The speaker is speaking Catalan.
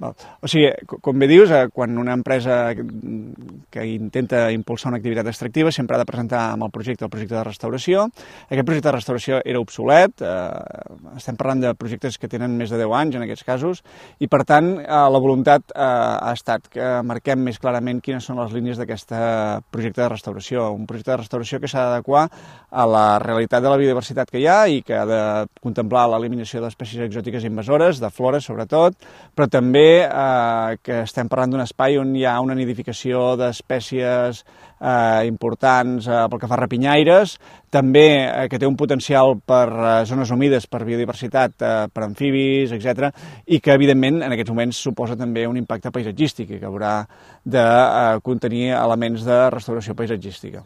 O sigui, com bé dius, quan una empresa que intenta impulsar una activitat extractiva sempre ha de presentar amb el projecte de restauració. Aquest projecte de restauració era obsolet, estem parlant de projectes que tenen més de 10 anys en aquests casos, i per tant la voluntat ha estat que marquem més clarament quines són les línies d'aquest projecte de restauració. Un projecte de restauració que s'ha d'adequar a la realitat de la biodiversitat que hi ha i que ha de contemplar l'eliminació d'espècies exòtiques invasores, de flora sobretot, però també que estem parlant d'un espai on hi ha una nidificació d'espècies importants pel que fa a rapinyaires, també que té un potencial per zones humides, per biodiversitat, per amfibis, etc., i que, evidentment, en aquests moments suposa també un impacte paisatgístic i que haurà de contenir elements de restauració paisatgística.